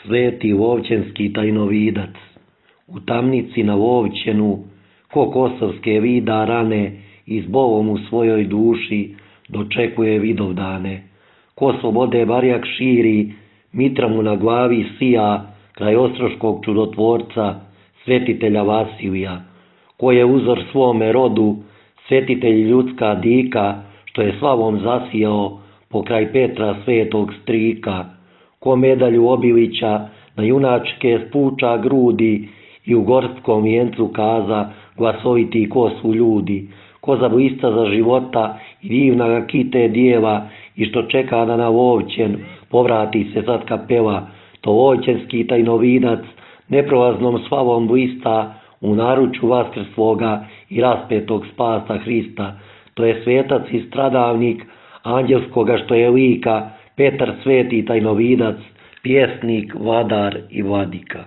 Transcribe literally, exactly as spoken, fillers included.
sveti Vovćanski tajnovidac, u tamnici na Vovćenu, ko kosovske vida rane, i s Bovom u svojoj duši dočekuje vidovdane. Ko slobode barjak širi, mitra mu na glavi sija, kraj ostroškog čudotvorca, svetitelja Vasilija. Ko je uzor svome rodu, svetitelj ljudska dika, što je slavom zasijao pokraj Petra svetog strika. Ko medalju Obilića na junačke spuča grudi i u gorskom vijencu kaza glasoviti ko su ljudi. Ko za blista za života i divna ga kite djeva i što čeka da na Vovćen povrati se sad kapela, to Vovćanski tajnovidac neprolaznom slavom blista u naručju vaskrsloga i raspetog spasa Hrista. To je svetac i stradavnik anđelskoga što je lika, Petar sveti tajnovidac, pjesnik, vladar i vladika.